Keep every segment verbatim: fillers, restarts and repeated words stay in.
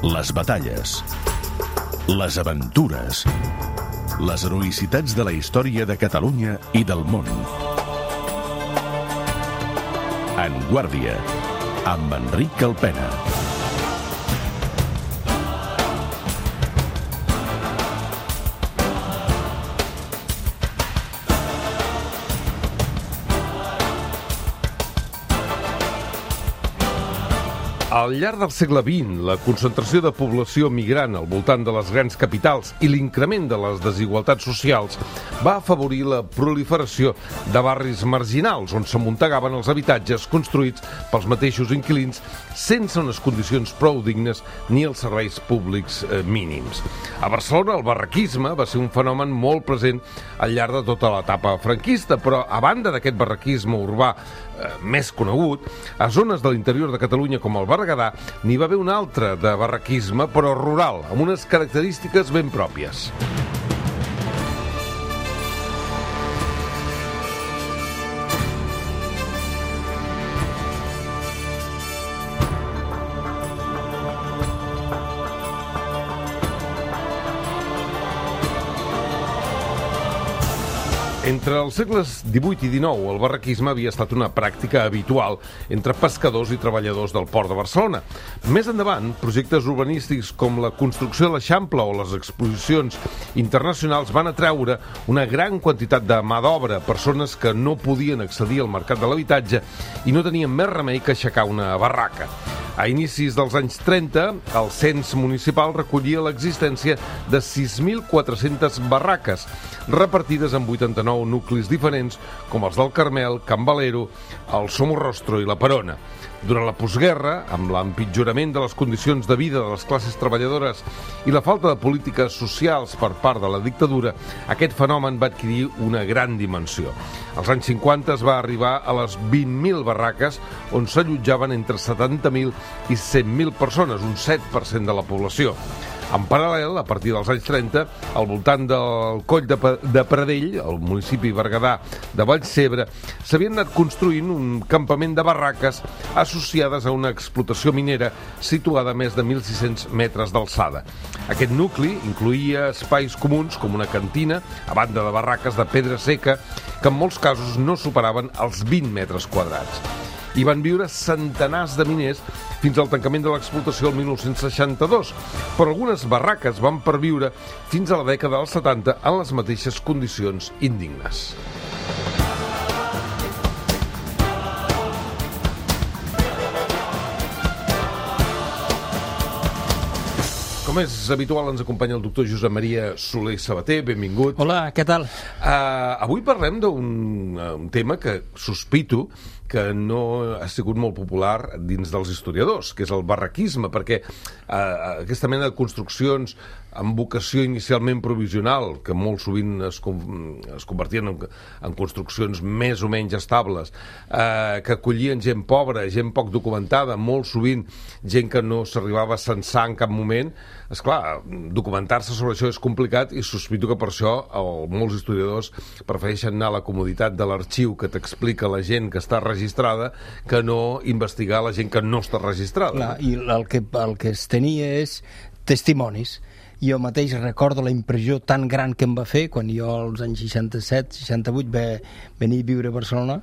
Les batalles, les aventures, les heroïcitats de la història de Catalunya i del món. En Guàrdia, amb Enric Alpena. Al llarg del segle vint, la concentració de població migrant al voltant de les grans capitals i l'increment de les desigualtats socials va afavorir la proliferació de barris marginals on s'amuntegaven els habitatges construïts pels mateixos inquilins sense unes condicions prou dignes ni els serveis públics eh, mínims. A Barcelona el barraquisme va ser un fenomen molt present al llarg de tota l'etapa franquista, però a banda d'aquest barraquisme urbà eh, més conegut, a zones de l'interior de Catalunya com el Berguedà n'hi va haver un altre de barraquisme, però rural, amb unes característiques ben pròpies. Entre els segles divuit i dinou, el barraquisme havia estat una pràctica habitual entre pescadors i treballadors del port de Barcelona. Més endavant, projectes urbanístics com la construcció de l'Eixample o les exposicions internacionals van atreure una gran quantitat de mà d'obra, persones que no podien accedir al mercat de l'habitatge i no tenien més remei que aixecar una barraca. A inicis dels anys trenta, el cens municipal recollia l'existència de sis mil quatre-centes barraques, repartides en vuitanta-nou nuclis diferents, com els del Carmel, Can Valero, el Somorrostro i la Perona. Durant la postguerra, amb l'empitjorament de les condicions de vida de les classes treballadores i la falta de polítiques socials per part de la dictadura, aquest fenomen va adquirir una gran dimensió. Als anys cinquanta es va arribar a les vint mil barraques, on s'allotjaven entre setanta mil i cent mil persones, un set per cent de la població. En paral·lel, a partir dels anys trenta, al voltant del Coll de, de Pradell, al municipi berguedà de Vallcebre, s'havien anat construint un campament de barraques associades a una explotació minera situada a més de mil sis-cents metres d'alçada. Aquest nucli incloïa espais comuns com una cantina, a banda de barraques de pedra seca, que en molts casos no superaven els vint metres quadrats. Hi van viure centenars de miners fins al tancament de l'explotació el mil nou-cents seixanta-dos, però algunes barraques van perviure fins a la dècada dels setanta en les mateixes condicions indignes. Com és habitual, ens acompanya el doctor Josep Maria Soler Sabater. Benvingut. Hola, què tal? Uh, avui parlem d'un uh, un tema que sospito que no ha sigut molt popular dins dels historiadors, que és el barraquisme, perquè uh, aquesta mena de construccions amb vocació inicialment provisional, que molt sovint es, es convertien en, en construccions més o menys estables, eh, que acollien gent pobra, gent poc documentada, molt sovint gent que no s'arribava a censar en cap moment. Esclar, documentar-se sobre això és complicat i sospito que per això el, molts historiadors prefereixen anar a la comoditat de l'arxiu que t'explica la gent que està registrada que no investigar la gent que no està registrada. Clar, i el que, el que es tenia és testimonis. Jo mateix recordo la impressió tan gran que em va fer quan jo als anys seixanta-set seixanta-vuit va venir a viure a Barcelona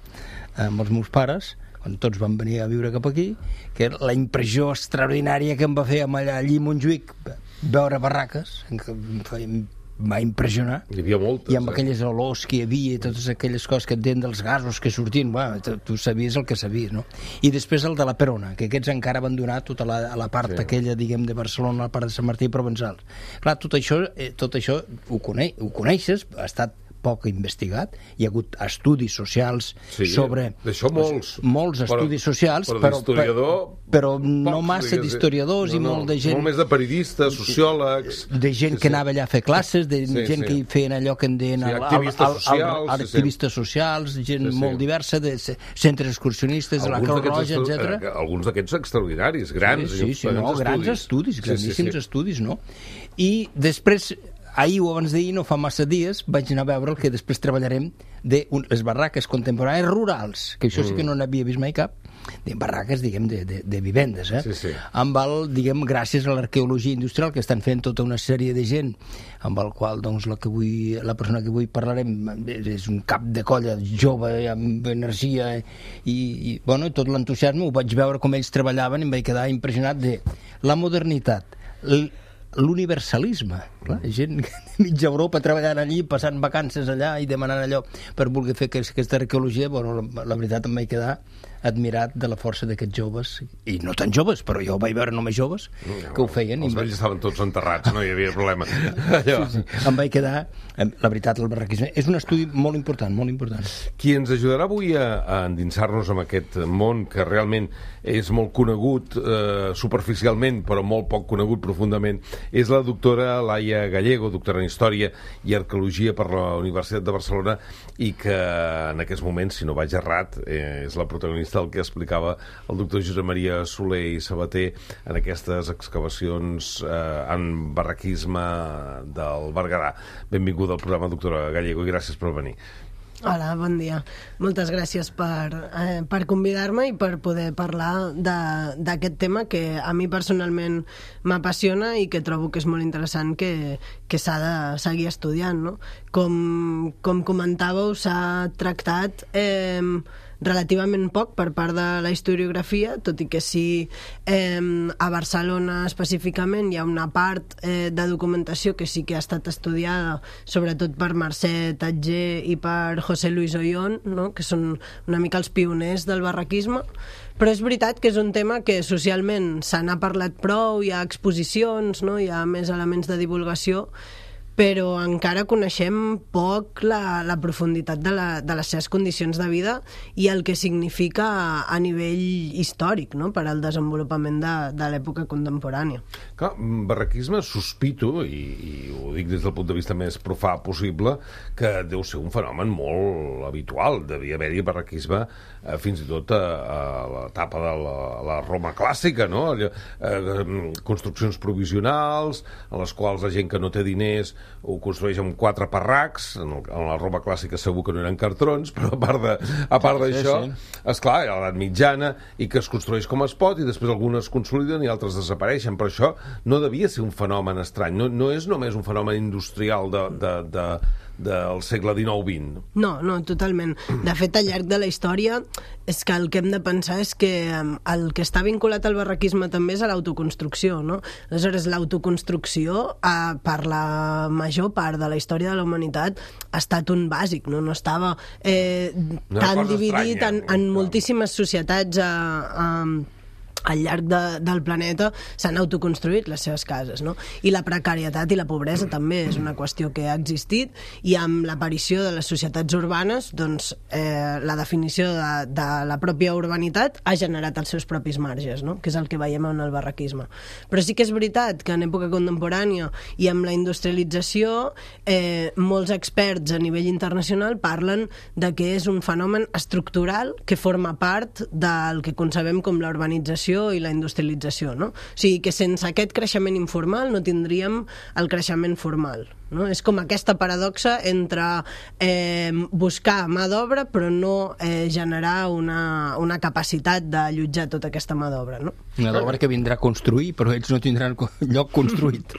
amb els meus pares, quan tots van venir a viure cap aquí, que la impressió extraordinària que em va fer allà allí a Montjuïc, veure barraques, que em va impressionar. Hi havia moltes. I amb eh? aquelles olors que hi havia i totes aquelles coses que et deien dels gasos que sortien, bueno, tu sabies el que sabies, no? I després el de la Perona, que aquests encara van donar tota la, la part sí. aquella, diguem, de Barcelona, la part de Sant Martí i Provençal. Clar, tot això, eh, tot això ho, coneix, ho coneixes, ha estat poc investigat, hi ha hagut estudis socials sí, sobre... D'això molts. Molts estudis però, socials, però, però, però no massa d'historiadors no, no, i molt de gent... Molt més de periodistes, sociòlegs... De gent sí, que anava allà a fer classes, de sí, gent sí. que hi feien allò que en deien... Sí, activistes al, al, socials. Al, al, activistes sí, socials, gent sí, sí. molt diversa, de centres excursionistes, de la Creu Roja, etcètera. Alguns d'aquests extraordinaris, grans. Sí, sí, sí no, estudis. grans estudis, grandíssims sí, sí, sí. estudis, no? I després... Ahir o abans d'ahir, no fa massa dies, vaig anar a veure el que després treballarem de un, les barraques contemporànies rurals, que això sí que no n'havia vist mai cap, de barraques, diguem, de, de, de vivendes, eh? Sí, sí. Amb el, diguem, gràcies a l'arqueologia industrial que estan fent tota una sèrie de gent, amb el qual, doncs, la, que vull, la persona que avui parlarem és un cap de colla jove, amb energia, i, i bueno, tot l'entusiasme, ho vaig veure com ells treballaven i em vaig quedar impressionat de la modernitat, l'universalisme, clar, gent de mitja Europa treballant allí, passant vacances allà i demanant allò per voler fer aquesta arqueologia. Bueno, la, la veritat em vaig quedar admirat de la força d'aquests joves, i no tan joves, però jo ho vaig veure només joves que ho feien. Els vells estaven tots enterrats, no hi havia problema. Sí, sí. Em vaig quedar, la veritat, el barraquisme és un estudi molt important, molt important. Qui ens ajudarà avui a, a endinsar-nos en aquest món que realment és molt conegut eh, superficialment, però molt poc conegut profundament, és la doctora Laia Gallego, doctora en Història i Arqueologia per la Universitat de Barcelona, i que en aquests moments, si no vaig errat, eh, és la protagonista del que explicava el doctor Josep Maria Soler i Sabater en aquestes excavacions eh, en barraquisme del Berguedà. Benvinguda al programa, doctora Gallego, i gràcies per venir. Hola, bon dia. Moltes gràcies per, eh, per convidar-me i per poder parlar d'aquest tema que a mi personalment m'apassiona i que trobo que és molt interessant que, que s'ha de seguir estudiant, no? Com, com comentàveu, s'ha tractat eh, relativament poc per part de la historiografia, tot i que sí eh, a Barcelona específicament hi ha una part eh, de documentació que sí que ha estat estudiada, sobretot per Mercè Tatger i per José Luis Ollón, no? Que són una mica els pioners del barraquisme, però és veritat que és un tema que socialment se n'ha parlat prou, hi ha exposicions, no? Hi ha més elements de divulgació, però encara coneixem poc la, la profunditat de, la, de les seves condicions de vida i el que significa a, a nivell històric, no? Per al desenvolupament de, de l'època contemporània. Clar, barraquisme sospito, i, i ho dic des del punt de vista més profà possible, que deu ser un fenomen molt habitual. Devia haver-hi barraquisme eh, fins i tot a, a l'etapa de la, la Roma clàssica, no? Allò, eh, construccions provisionals, en les quals la gent que no té diners ho construeix amb quatre parracs. En, el, en la Roma clàssica segur que no eren cartrons, però a part de, a part d'això, sí, sí. Esclar, a l'edat mitjana, i que es construeix com es pot, i després algunes consoliden i altres desapareixen. Però això no devia ser un fenomen estrany, no, no és només un fenomen industrial de, de, de, del segle dinou vint. No, no, totalment. De fet, al llarg de la història és que el que hem de pensar és que el que està vinculat al barraquisme també és a l'autoconstrucció, no? Aleshores, l'autoconstrucció, eh, per la major part de la història de la humanitat, ha estat un bàsic, no? No estava eh, no tan dividit estranya, en, en moltíssimes societats a... a al llarg de, del planeta s'han autoconstruït les seves cases, no? I la precarietat i la pobresa també és una qüestió que ha existit, i amb l'aparició de les societats urbanes, doncs eh, la definició de, de la pròpia urbanitat ha generat els seus propis marges, no? Que és el que veiem en el barraquisme. Però sí que és veritat que en època contemporània i amb la industrialització eh, molts experts a nivell internacional parlen de que és un fenomen estructural que forma part del que concebem com la urbanització i la industrialització, no? O sigui que sense aquest creixement informal no tindríem el creixement formal, no? És com aquesta paradoxa entre eh, buscar mà d'obra però no eh, generar una, una capacitat d'allotjar tota aquesta mà d'obra, no? Una d'obra que vindrà a construir, però ells no tindran lloc construït.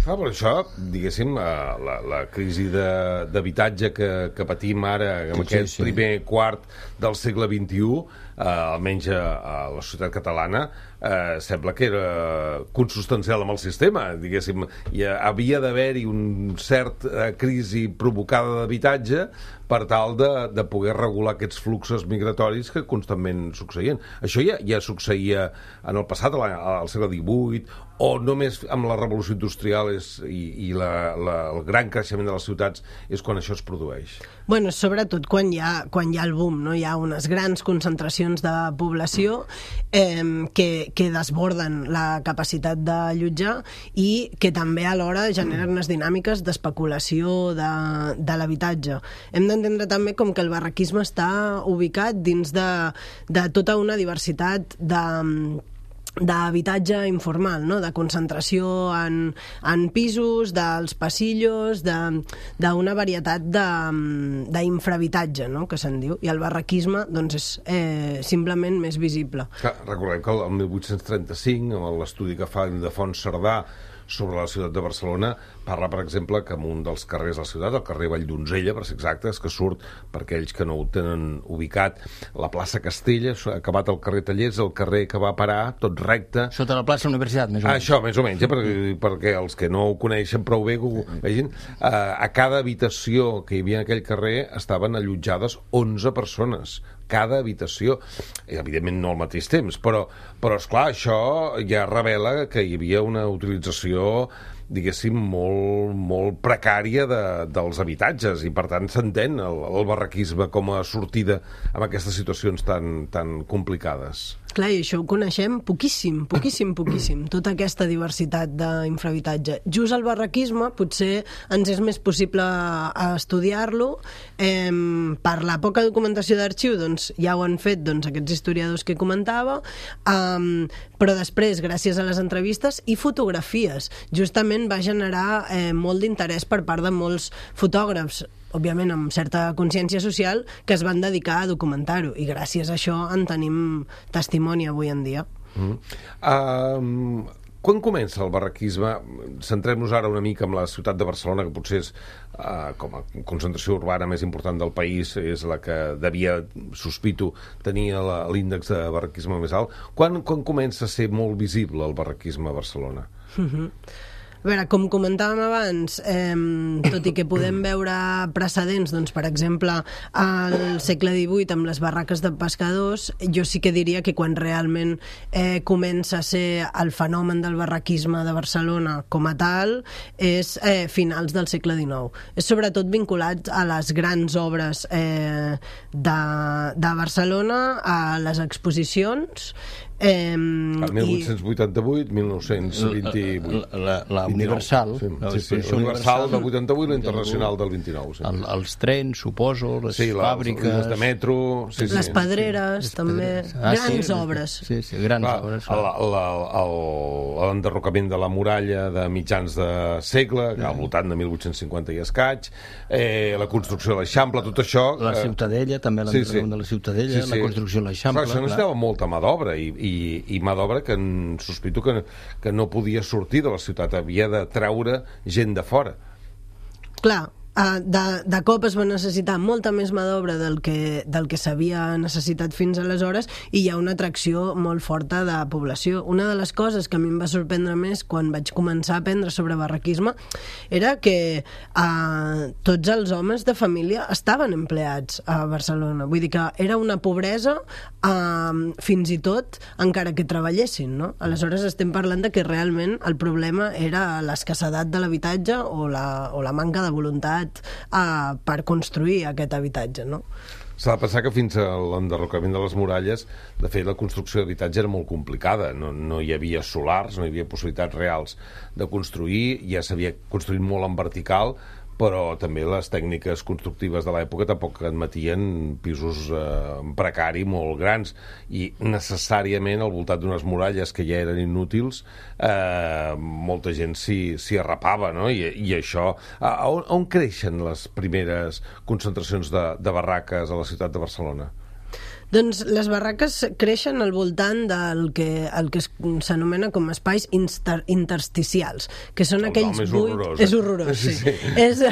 Ah, per això, diguéssim, la, la crisi d'habitatge que, que patim ara en sí, aquest sí, sí. primer quart del segle vint-i-u, eh, almenys a, a la societat catalana, eh, sembla que era consubstancial amb el sistema, diguéssim. Hi havia d'haver-hi un cert eh, crisi provocada d'habitatge per tal de, de poder regular aquests fluxos migratoris que constantment succeïen. Això ja, ja succeïa en el passat, al segle divuit, o només amb la revolució industrial és, i, i la, la, el gran creixement de les ciutats és quan això es produeix? Bueno, sobretot quan hi ha, quan hi ha el boom, no? Hi ha unes grans concentracions de població eh, que, que desborden la capacitat d'allotjar i que també alhora generen unes dinàmiques d'especulació de, de l'habitatge. Hem d'entendre també com que el barraquisme està ubicat dins de, de tota una diversitat de d'habitatge informal, no? De concentració en, en pisos, dels passillos, d'una varietat d'infrahabitatge, no? Que se'n diu, i el barraquisme doncs, és eh, simplement més visible. Clar, recordem que el mil vuit-cents trenta-cinc, amb l'estudi que fa Ildefons Cerdà sobre la ciutat de Barcelona, parla, per exemple, que en un dels carrers de la ciutat, el carrer Valldonzella, per ser exactes, que surt, per aquells que no ho tenen ubicat, la plaça Castella, acabat el carrer Tallers, el carrer que va parar, tot recte... Sota la plaça Universitat, més o menys. Ah, això, més o menys, eh? perquè, perquè els que no ho coneixen prou bé, que ho vegin, eh, a cada habitació que hi havia en aquell carrer estaven allotjades onze persones, cada habitació, i evidentment no al mateix temps, però, però esclar, això ja revela que hi havia una utilització, diguéssim, molt, molt precària de, dels habitatges, i per tant s'entén el, el barraquisme com a sortida en aquestes situacions tan, tan complicades. Clar, i això ho coneixem poquíssim, poquíssim, poquíssim, tota aquesta diversitat d'infrahabitatge. Just el barraquisme potser ens és més possible estudiar-lo. Eh, per la poca documentació d'arxiu, doncs, ja ho han fet doncs, aquests historiadors que comentava, eh, però després, gràcies a les entrevistes i fotografies, justament va generar eh, molt d'interès per part de molts fotògrafs, òbviament amb certa consciència social, que es van dedicar a documentar-ho, i gràcies a això en tenim testimoni avui en dia. Mm. Uh, quan comença el barraquisme? Centrem-nos ara una mica en la ciutat de Barcelona, que potser és, uh, com a concentració urbana més important del país, és la que devia, sospito, tenir l'índex de barraquisme més alt. Quan, quan comença a ser molt visible el barraquisme a Barcelona? Mhm. A veure, com comentàvem abans, eh, tot i que podem veure precedents, doncs, per exemple, al segle divuit amb les barraques de pescadors, jo sí que diria que quan realment eh, comença a ser el fenomen del barraquisme de Barcelona com a tal és eh, finals del segle dinou. És sobretot vinculat a les grans obres eh, de, de Barcelona, a les exposicions. Eh, el mil vuit-cents vuitanta-vuit, mil nou-cents vint-i-vuit. La, la, la Universal. Sí, la sí, sí, la Universal del vuitanta-vuit, la Internacional del vint-i-nou. Sí. El, els trens, suposo, les sí, la, fàbriques... Les de metro... Sí, les sí. pedreres, les també. Pedreres. Ah, grans sí, obres. Sí, sí, grans Clar, obres. L'enderrocament de la muralla de mitjans de segle, que al voltant de mil vuit-cents cinquanta i escaig, eh, la construcció de l'Eixample, tot això... La Ciutadella, també l'enderrocament sí, sí. de la Ciutadella, sí, sí. La construcció de l'Eixample... Això necessitava molta mà d'obra, i, i, i mà d'obra que en, sospito que, que no podia sortir de la ciutat, havia de treure gent de fora. Clar, de, de cop es va necessitar molta més mà d'obra del que, del que s'havia necessitat fins aleshores, i hi ha una atracció molt forta de població. Una de les coses que a mi em va sorprendre més quan vaig començar a aprendre sobre barraquisme era que eh, tots els homes de família estaven empleats a Barcelona. Vull dir que era una pobresa eh, fins i tot encara que treballessin, no? Aleshores estem parlant de que realment el problema era l'escassedat de l'habitatge o la, o la manca de voluntat Uh, per construir aquest habitatge, no? S'ha de pensar que fins a l'enderrocament de les muralles, de fet, la construcció d'habitatge era molt complicada. No, no hi havia solars, no hi havia possibilitats reals de construir, ja s'havia construït molt en vertical, però també les tècniques constructives de l'època tampoc admetien pisos eh, precari molt grans, i necessàriament al voltant d'unes muralles que ja eren inútils, eh, molta gent s'hi arrapava, no? I, i això... A, a, on, a on creixen les primeres concentracions de, de barraques a la ciutat de Barcelona? Doncs les barraques creixen al voltant del que, el que s'anomena com espais inter, intersticials, que són el aquells buits... Horrorós, eh? És horrorós, sí. sí. sí. És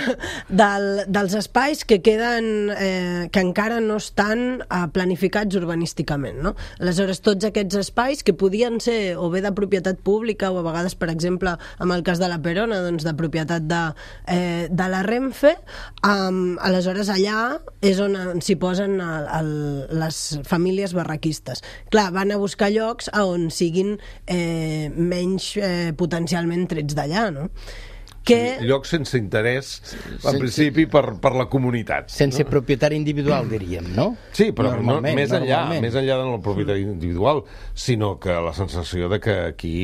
del, dels espais que queden, eh, que encara no estan eh, planificats urbanísticament, no? Aleshores, tots aquests espais que podien ser o bé de propietat pública o a vegades, per exemple, amb el cas de la Perona, doncs de propietat de, eh, de la Renfe, um, aleshores allà és on s'hi posen el, el, les famílies barraquistes. Clar, van a buscar llocs a on siguin eh, menys eh, potencialment trets d'allà, no? que... Sí, lloc sense interès, en principi, per, per la comunitat. Sense no? propietari individual, diríem, no? Sí, però no, més enllà, més enllà del propietari individual, sinó que la sensació de que aquí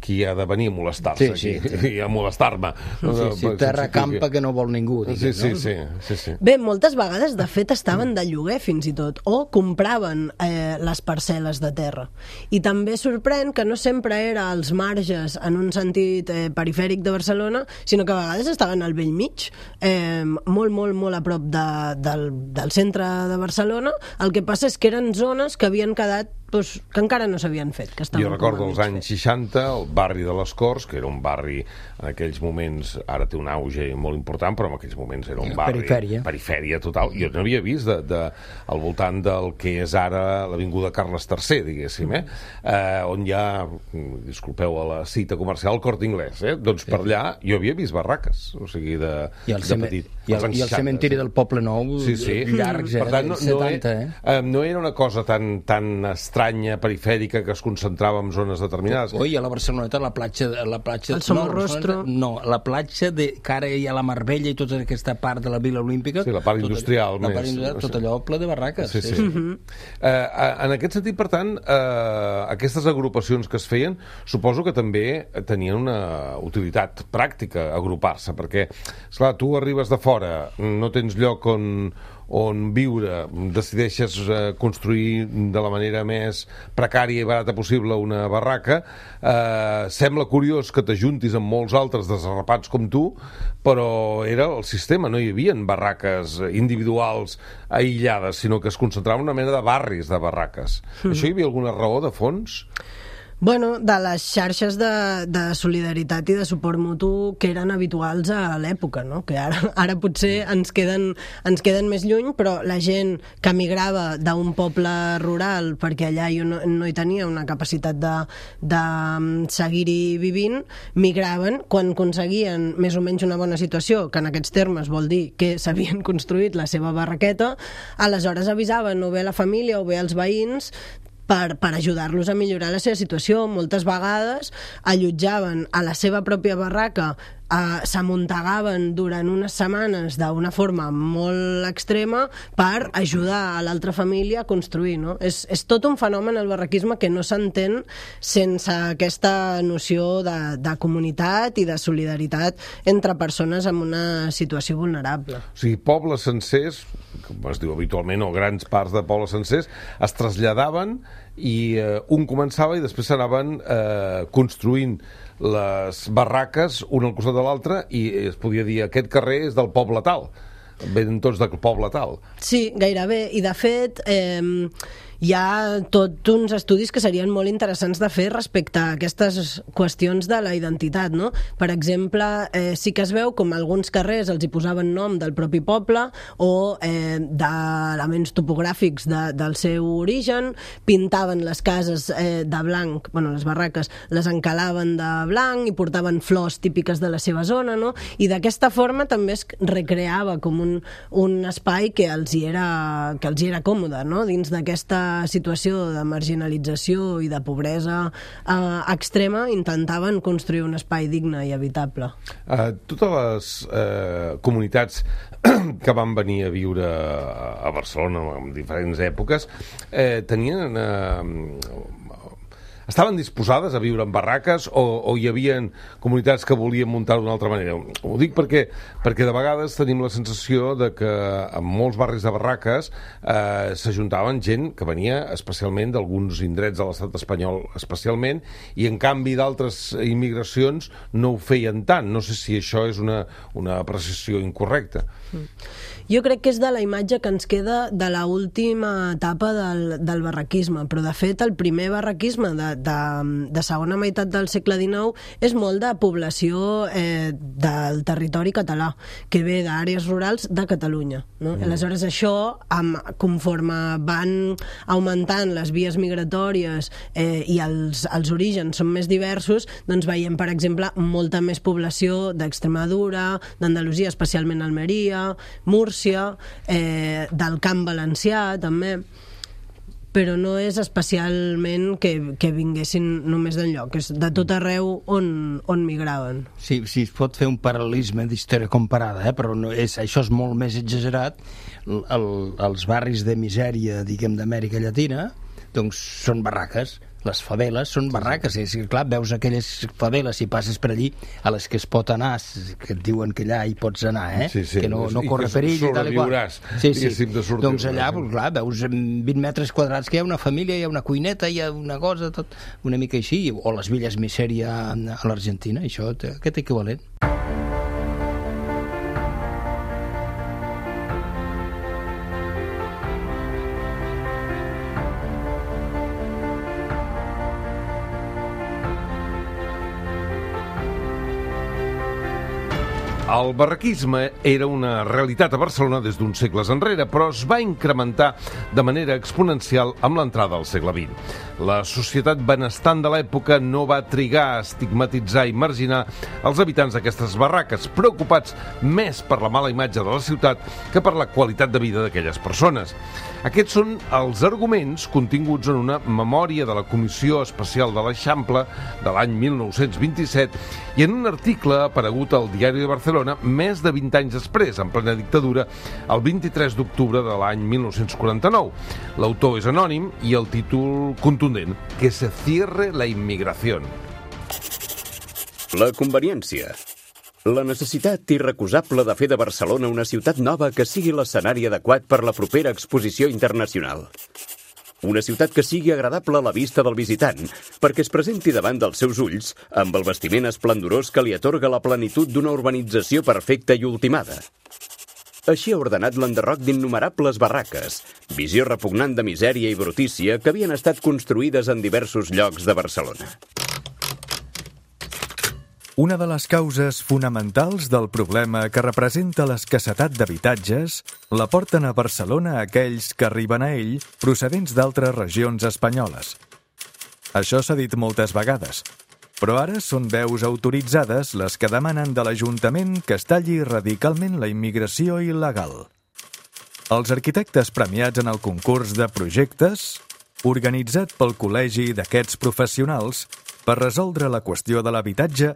qui ha de venir a molestar-se, sí, sí, aquí, i a molestar-me. Sí, sí, terra campa que no vol ningú, diguem, sí, sí, no? sí, sí, sí. Bé, moltes vegades, de fet, estaven de lloguer fins i tot, o compraven eh, les parcel·les de terra. I també sorprèn que no sempre era als marges en un sentit eh, perifèric de Barcelona, sinó que a vegades estaven al bell mig, eh, molt, molt, molt a prop de, del, del centre de Barcelona. El que passa és que eren zones que havien quedat doncs, que encara no s'havien fet. Que jo recordo els anys seixanta, el barri de les Corts, que era un barri en aquells moments, ara té un auge molt important, però en aquells moments era un barri... Perifèria. Perifèria total. Jo no havia vist de, de, al voltant del que és ara l'avinguda Carles tercer, diguéssim, eh? eh on hi ha, disculpeu a la cita comercial, el Corte Inglés, eh? Doncs per allà jo havia vist barraques, o sigui, de, I el, de ceme petit. i el, i el cementiri sí. del Poble Nou, sí, sí. llargs, eh? Per tant, no, setanta, no, eh? eh? No era una cosa tan, tan estranya, perifèrica, que es concentrava en zones determinades. Oi, a la Barceloneta, la platja... La platja el Somorrostro. No, no, la platja de, que ara hi ha la Marbella i tota aquesta part de la Vila Olímpica... Sí, la part industrial tot, més. La part industrial, tot allò ple de barraques. Sí, sí. sí. Uh-huh. eh, en aquest sentit, per tant, eh, aquestes agrupacions que es feien, suposo que també tenien una utilitat pràctica agrupar-se, perquè, esclar, tu arribes de fora, no tens lloc on, on viure, decideixes eh, construir de la manera més precària i barata possible una barraca, eh, sembla curiós que t'ajuntis amb molts altres desarrapats com tu, però era el sistema, no hi havia barraques individuals aïllades, sinó que es concentrava una mena de barris de barraques. Mm. Això hi havia alguna raó de fons? Bueno, de les xarxes de, de solidaritat i de suport mutu que eren habituals a l'època, no? Que ara, ara potser ens queden, ens queden més lluny, però la gent que migrava d'un poble rural perquè allà no, no hi tenia una capacitat de, de seguir-hi vivint, migraven quan aconseguien més o menys una bona situació, que en aquests termes vol dir que s'havien construït la seva barraqueta, aleshores avisaven o bé a la família o bé als veïns per, per ajudar-los a millorar la seva situació. Moltes vegades allotjaven a la seva pròpia barraca, eh, s'amuntegaven durant unes setmanes d'una forma molt extrema per ajudar a l'altra família a construir, no? És, és tot un fenomen, el barraquisme, que no s'entén sense aquesta noció de, de comunitat i de solidaritat entre persones en una situació vulnerable. O sigui, pobles sencers, com es diu habitualment, o grans parts de pobles sencers, es traslladaven i eh, un començava i després s'anaven eh, construint les barraques un al costat de l'altre i es podia dir aquest carrer és del poble tal, venen tots del poble tal. Sí, gairebé, i de fet eh, hi ha tot uns estudis que serien molt interessants de fer respecte a aquestes qüestions de la identitat, no? Per exemple, eh, sí que es veu com alguns carrers els hi posaven nom del propi poble o eh, d'elements topogràfics de, del seu origen, pintaven les cases eh, de blanc, bueno, les barraques les encalaven de blanc i portaven flors típiques de la seva zona, no? I d'aquesta forma també es recreava com un, un espai que els hi era, que els hi era còmode, no? Dins d'aquesta situació de marginalització i de pobresa eh, extrema, intentaven construir un espai digne i habitable. Uh, totes les uh, comunitats que van venir a viure a Barcelona en diferents èpoques eh, tenien... Uh, estaven disposades a viure en barraques o, o hi havia comunitats que volien muntar d'una altra manera? Ho dic perquè, perquè de vegades tenim la sensació de que en molts barris de barraques eh, s'ajuntaven gent que venia especialment d'alguns indrets de l'estat espanyol especialment, i en canvi d'altres immigracions no ho feien tant. No sé si això és una, una apreciació incorrecta. Mm. Jo crec que és de la imatge que ens queda de la última etapa del, del barraquisme, però de fet el primer barraquisme de, de, de segona meitat del segle dinou és molt de població eh, del territori català, que ve d'àrees rurals de Catalunya, no? Mm. Aleshores això, amb, conforme van augmentant les vies migratòries eh, i els, els orígens són més diversos, doncs veiem, per exemple, molta més població d'Extremadura, d'Andalusia, especialment Almeria, Múrcia, Eh, del Camp Valencià també. però no és especialment que, que vinguessin només d'enlloc, és de tot arreu on, on migraven. Sí, sí, es pot fer un paral·lelisme d'història comparada, eh? Però no és, això és molt més exagerat. El, els barris de misèria, diguem, d'Amèrica Llatina, doncs són barraques. Les faveles són barraques, és que clar, veus aquelles faveles si passes per allí a les que es pot anar, que et diuen que allà hi pots anar, eh? Sí, sí. Que no, no corre perill i tal i qual. Sí, sí. Doncs allà, pues, clar, veus vint metres quadrats que hi ha una família, hi ha una cuineta, hi ha una cosa, tot una mica així, o les villes misèria a l'Argentina, això, aquest equivalent. El barraquisme era una realitat a Barcelona des d'uns segles enrere, però es va incrementar de manera exponencial amb l'entrada al segle vint. La societat benestant de l'època no va trigar a estigmatitzar i marginar els habitants d'aquestes barraques, preocupats més per la mala imatge de la ciutat que per la qualitat de vida d'aquelles persones. Aquests són els arguments continguts en una memòria de la Comissió Especial de l'Eixample de l'any mil nou-cents vint-i-set i en un article aparegut al Diari de Barcelona més de vint anys després, en plena dictadura, el vint-i-tres d'octubre de l'any mil nou-cents quaranta-nou. L'autor és anònim i el títol contundent, Que se cierre la inmigración. La conveniència. La necessitat irrecusable de fer de Barcelona una ciutat nova que sigui l'escenari adequat per la propera exposició internacional. Una ciutat que sigui agradable a la vista del visitant, perquè es presenti davant dels seus ulls amb el vestiment esplendorós que li atorga la plenitud d'una urbanització perfecta i ultimada. Així ha ordenat l'enderroc d'innumerables barraques, visió repugnant de misèria i brutícia que havien estat construïdes en diversos llocs de Barcelona. Una de les causes fonamentals del problema que representa l'escassetat d'habitatges la porten a Barcelona aquells que arriben a ell procedents d'altres regions espanyoles. Això s'ha dit moltes vegades, però ara són veus autoritzades les que demanen de l'Ajuntament que es talli radicalment la immigració il·legal. Els arquitectes premiats en el concurs de projectes, organitzat pel Col·legi d'aquests professionals per resoldre la qüestió de l'habitatge,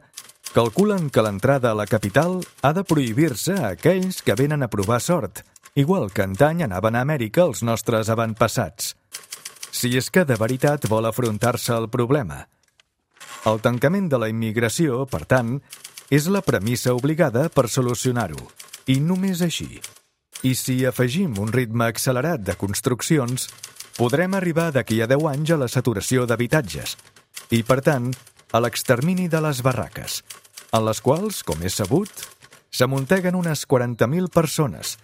calculen que l'entrada a la capital ha de prohibir-se a aquells que venen a provar sort, igual que antany anaven a Amèrica els nostres avantpassats. Si és que de veritat vol afrontar-se el problema. El tancament de la immigració, per tant, és la premissa obligada per solucionar-ho, i només així. I si afegim un ritme accelerat de construccions, podrem arribar d'aquí a deu anys a la saturació d'habitatges, i, per tant, a l'extermini de les barraques, en les quals, com és sabut, s'amunteguen unes quaranta mil persones,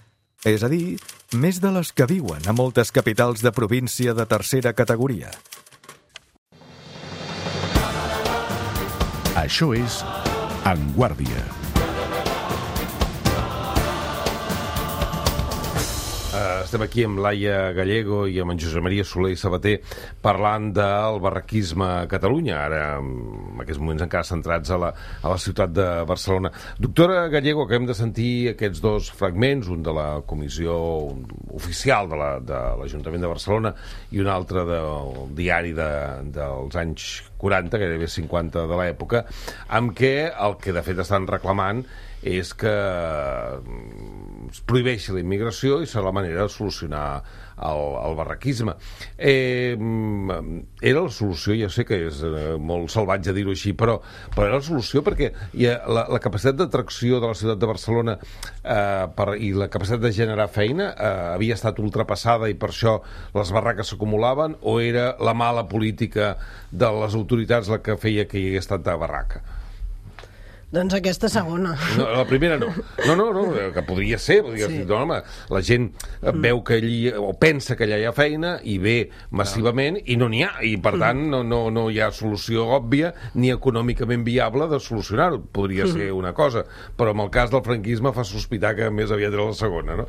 és a dir, més de les que viuen a moltes capitals de província de tercera categoria. Això és En Guàrdia. Uh, estem aquí amb Laia Gallego i amb en Josep Maria Soler i Sabater parlant del barraquisme a Catalunya, ara en aquests moments encara centrats a la, a la ciutat de Barcelona. Doctora Gallego, acabem de sentir aquests dos fragments, un de la comissió oficial de la, de l'Ajuntament de Barcelona i un altre del diari de, dels anys quaranta, gairebé cinquanta de l'època, amb què el que de fet estan reclamant és que es prohibeixi la immigració i serà la manera de solucionar el, el barraquisme. Eh, era la solució, ja sé que és eh, molt salvatge dir-ho així, però, però era la solució perquè ha, la, la capacitat d'atracció de la ciutat de Barcelona eh, per, i la capacitat de generar feina eh, havia estat ultrapassada i per això les barraques s'acumulaven, o era la mala política de les autoritats la que feia que hi hagués tanta barraca? Doncs aquesta segona. No, la primera no. No, no, no, que podria ser. Podria sí. ser no, home, la gent veu que allí, o pensa que allà hi ha feina, i ve massivament, i no n'hi ha. I, per tant, no, no, no hi ha solució òbvia ni econòmicament viable de solucionar-ho. Podria ser una cosa. Però en el cas del franquisme fa sospitar que més aviat era la segona, no?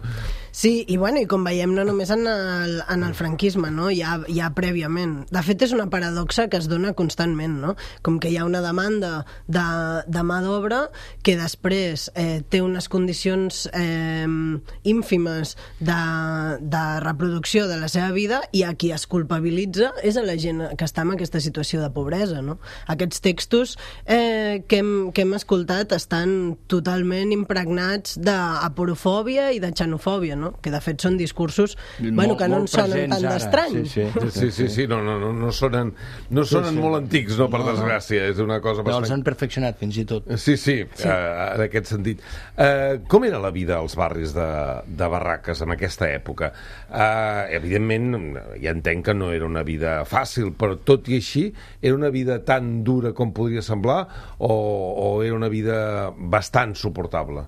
Sí, i bueno, i com veiem, no només en el, en el franquisme, no? Ja, ja prèviament. De fet, és una paradoxa que es dona constantment, no? Com que hi ha una demanda de, de mà d'obra d'obra que després eh, té unes condicions eh, ínfimes de, de reproducció de la seva vida, i a qui es culpabilitza és a la gent que està en aquesta situació de pobresa, no? Aquests textos eh, que, hem, que hem escoltat estan totalment impregnats d'aporofòbia i de xenofòbia, no? Que de fet són discursos Molt, bueno, que no ens sonen presents tan ara. d'estranys. Sí, sí. Sí, sí, sí, no, no, no, no sonen, no sonen sí. molt antics, no, per No, no. desgràcia, és una cosa No, els bastant... han perfeccionat fins i tot. Sí, sí, sí. Uh, en aquest sentit. Uh, com era la vida als barris de, de barraques en aquesta època? Uh, evidentment, ja entenc que no era una vida fàcil, però tot i així, era una vida tan dura com podria semblar o, o era una vida bastant suportable?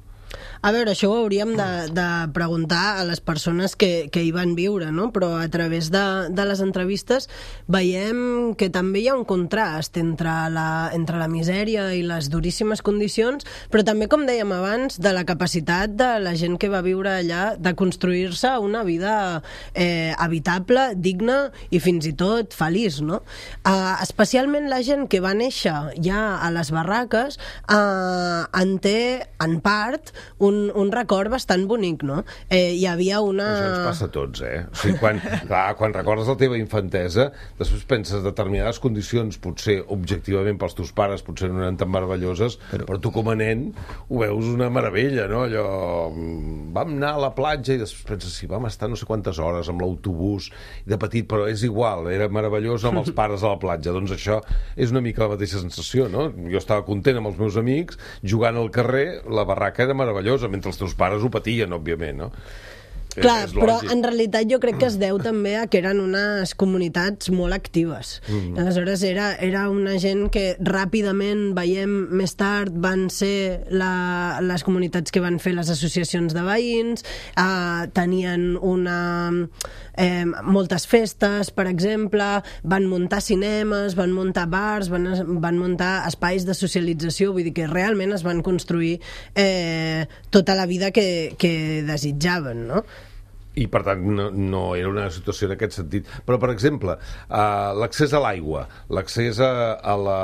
A veure, això ho hauríem de, de preguntar a les persones que, que hi van viure, no? Però a través de, de les entrevistes veiem que també hi ha un contrast entre la, entre la misèria i les duríssimes condicions, però també, com dèiem abans, de la capacitat de la gent que va viure allà de construir-se una vida eh, habitable, digna i fins i tot feliç, no? Eh, especialment la gent que va néixer ja a les barraques eh, en té, en part, un Un, un record bastant bonic, no? Eh, hi havia una... Això ens passa a tots, eh? O sigui, quan, clar, quan recordes la teva infantesa, després penses determinades condicions, potser objectivament pels teus pares, potser no eren tan meravelloses, però, però tu com a nen ho veus una meravella, no? Allò... Vam anar a la platja i després penses, sí, vam estar no sé quantes hores amb l'autobús de petit, però és igual, era meravellós amb els pares a la platja. Doncs això és una mica la mateixa sensació, no? Jo estava content amb els meus amics, jugant al carrer, la barraca era meravellosa, mentre els teus pares ho patien, òbviament, no? Clar, és, és però lògic. en realitat jo crec que es deu també a que eren unes comunitats molt actives. Mm. Aleshores era, era una gent que ràpidament, veiem més tard, van ser la, les comunitats que van fer les associacions de veïns, eh, tenien una... Eh, moltes festes, per exemple, van muntar cinemes, van muntar bars, van, van muntar espais de socialització, vull dir que realment es van construir eh, tota la vida que, que desitjaven, no? I, per tant, no, no era una situació en aquest sentit. Però, per exemple, uh, l'accés a l'aigua, l'accés a, a la,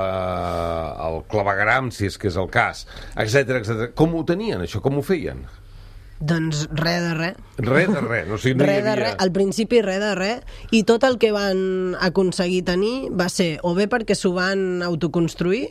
al clavegueram, si és que és el cas, etcètera, etcètera. Com ho tenien, això? Com ho feien? Doncs res de res. Res de res, no, o sigui, no res hi havia... de res, al principi res de res, i tot el que van aconseguir tenir va ser o bé perquè s'ho van autoconstruir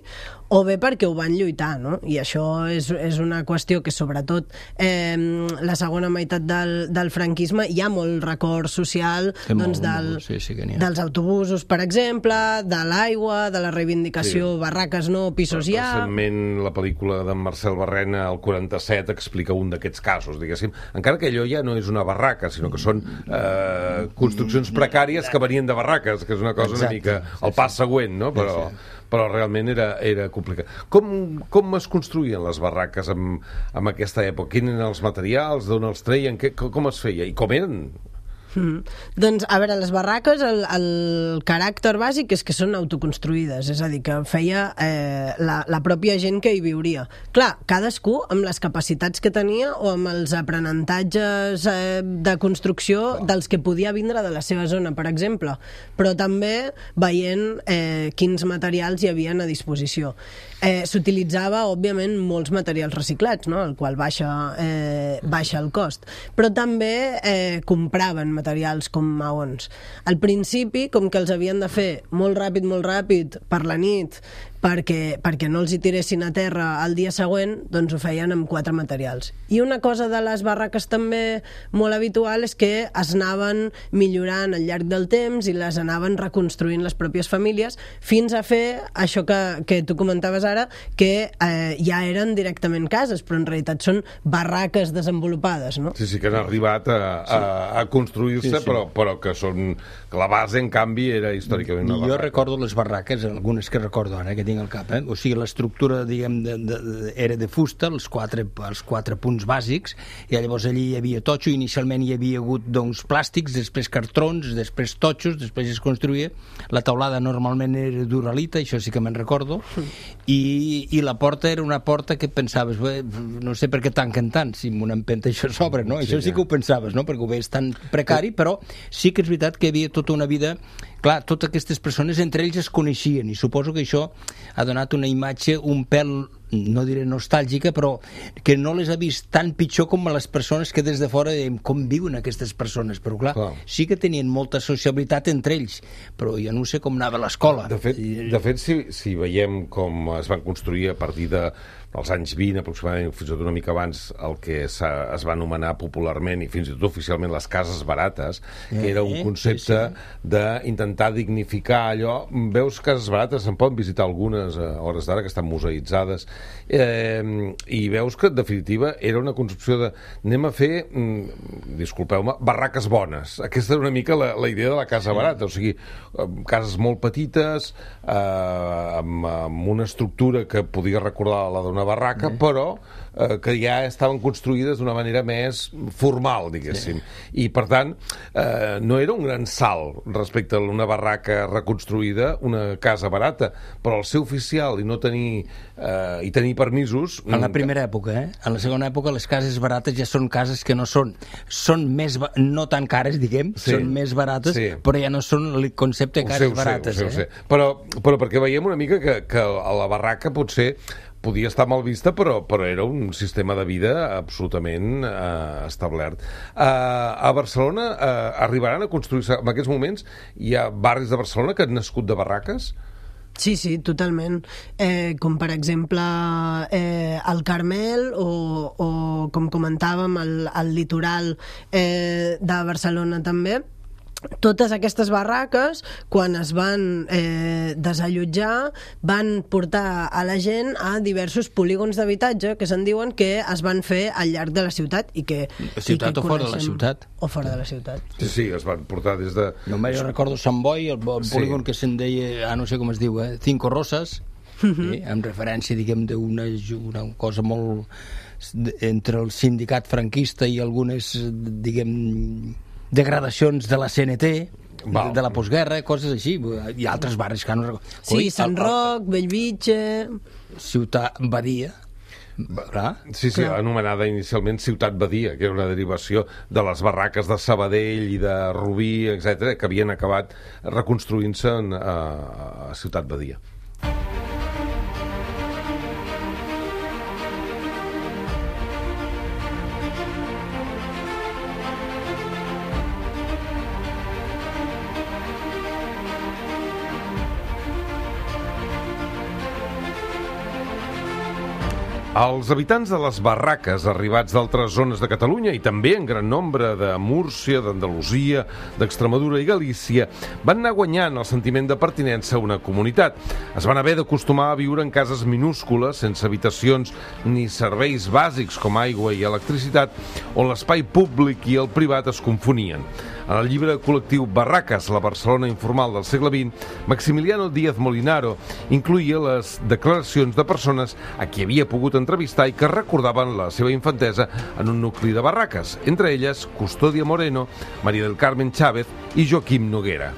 o bé perquè ho van lluitar, no? I això és, és una qüestió que sobretot eh, la segona meitat del, del franquisme hi ha molt record social, Sí, doncs, molt, del, molt, sí, sí que n'hi ha. dels autobusos, per exemple, de l'aigua, de la reivindicació, Sí. barraques no, pisos ja... Recentment la pel·lícula d'en Marcel Barrena, el quaranta-set, explica un d'aquests casos, diguéssim, encara que allò ja no és una barraca, sinó que són eh, construccions precàries que venien de barraques, que és una cosa Exacte, una mica sí, el pas següent, no? Però, però realment era, era complicat. Com, com es construïen les barraques en, en aquesta època? Quins eren els materials? D'on els treien? Que, com es feia? I com eren? Mm. Doncs, a veure, les barraques, el, el caràcter bàsic és que són autoconstruïdes, és a dir, que feia eh, la, la pròpia gent que hi viuria. Clar, cadascú amb les capacitats que tenia o amb els aprenentatges eh, de construcció dels que podia vindre de la seva zona, per exemple, però també veient eh, quins materials hi havien a disposició. Eh, S'utilitzava, òbviament, molts materials reciclats, no? El qual baixa, eh, baixa el cost, però també eh, compraven materials com maons. Al principi, com que els havien de fer molt ràpid, molt ràpid, per la nit, perquè, perquè no els hi tiressin a terra el dia següent, doncs ho feien amb quatre materials. I una cosa de les barraques també molt habitual és que es anaven millorant al llarg del temps i les anaven reconstruint les pròpies famílies fins a fer això que, que tu comentaves ara, que eh, ja eren directament cases, però en realitat són barraques desenvolupades, no? Sí, sí, que han arribat a, a, a construir-se, Sí, sí. però, però que són... que la base, en canvi, era històricament una Jo barraca. recordo les barraques, algunes que recordo ara, que tinc al cap, eh? O sigui, l'estructura, diguem, de, de, de, era de fusta, els quatre, els quatre punts bàsics, i llavors allí hi havia totxo, inicialment hi havia hagut, doncs, plàstics, després cartrons, després totxos, després es construïa, la taulada normalment era d'uralita, això sí que me'n recordo, i, i la porta era una porta que pensaves, bé, no sé per què tanquen tant, si amb una empenta això s'obre, no? Sí, Això sí ja. que ho pensaves, no? Perquè ho veies tan precari, però sí que és veritat que hi havia tota una vida... Clar, totes aquestes persones entre ells es coneixien i suposo que això ha donat una imatge un pèl no diré nostàlgica, però que no les ha vist tan pitjor com a les persones que des de fora dèiem com viuen aquestes persones, però clar, clar, sí que tenien molta sociabilitat entre ells, però jo no sé com anava a l'escola. De fet, de fet si, si veiem com es van construir a partir de als anys vint, aproximadament, fins i tot una mica abans, el que es va anomenar popularment i fins i tot oficialment les cases barates, que era un concepte sí, sí. d'intentar dignificar allò. Veus cases barates, se'n poden visitar algunes a hores d'ara, que estan museïtzades, eh, i veus que, en definitiva, era una concepció de anem a fer, mm, disculpeu-me, barraques bones. Aquesta era una mica la, la idea de la casa barata, o sigui, cases molt petites, eh, amb, amb una estructura que podia recordar la d'una barraca, sí. però eh, que ja estaven construïdes d'una manera més formal, diguéssim. Sí. I, per tant, eh, no era un gran salt respecte a una barraca reconstruïda, una casa barata, però el ser oficial i no tenir eh, i tenir permisos... En la primera època, eh? En la segona època les cases barates ja són cases que no són són més, no tan cares, diguem, sí. són més barates, sí. però ja no són el concepte de cases barates. Ho sé, ho sé, eh? Però, però perquè veiem una mica que, que a la barraca potser podia estar mal vista, però, però era un sistema de vida absolutament eh, establert. Eh, a Barcelona eh, arribaran a construir-se, en aquests moments hi ha barris de Barcelona que han nascut de barraques? Sí, sí, totalment. Eh, com per exemple eh, el Carmel o, o com comentàvem el, el litoral eh, de Barcelona també. Totes aquestes barraques, quan es van eh, desallotjar, van portar a la gent a diversos polígons d'habitatge que se'n diuen que es van fer al llarg de la ciutat i que... Ciutat i que o fora de la ciutat? O fora de la ciutat. Sí, sí, es van portar des de... Només jo recordo Sant Boi, el, el polígon sí. que se'n deia, ah, no sé com es diu, eh? Cinco Rosas, uh-huh. eh? amb referència, diguem, d'una una cosa molt... entre el sindicat franquista i algunes, diguem... degradacions de la C N T, Val. de la postguerra, coses així, i altres barris que no recordo. Sí, Sant Roc, Bellvitge... Ciutat Badia. Clar? Sí, sí, Clar. anomenada inicialment Ciutat Badia, que era una derivació de les barraques de Sabadell i de Rubí, etcètera, que havien acabat reconstruint-se a, a Ciutat Badia. Els habitants de les barraques arribats d'altres zones de Catalunya i també en gran nombre de Múrcia, d'Andalusia, d'Extremadura i Galícia van anar guanyant el sentiment de pertinença a una comunitat. Es van haver d'acostumar a viure en cases minúscules, sense habitacions ni serveis bàsics com aigua i electricitat, on l'espai públic i el privat es confonien. En el llibre col·lectiu Barraques, la Barcelona informal del segle vint, Maximiliano Díaz Molinaro incloïa les declaracions de persones a qui havia pogut entrevistar i que recordaven la seva infantesa en un nucli de barraques, entre elles Custodia Moreno, María del Carmen Chávez i Joaquim Noguera.